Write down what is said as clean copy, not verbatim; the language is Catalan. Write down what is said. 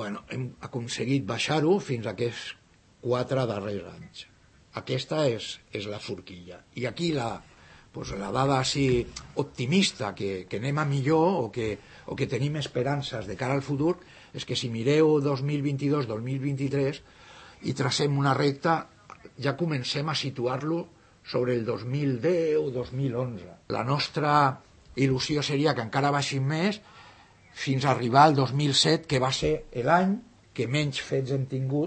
hem aconseguit baixar-ho fins a aquests 4 darrers anys. Aquesta és la forquilla. I aquí la dada així optimista, que anem a millor o que tenim esperances de cara al futur, és que si mireu 2022-2023 i tracem una recta, ja comencem a situar-lo sobre el 2010 o 2011. La nostra il·lusió seria que encara baixin més fins a arribar al 2007, que va ser l'any que menys fets hem tingut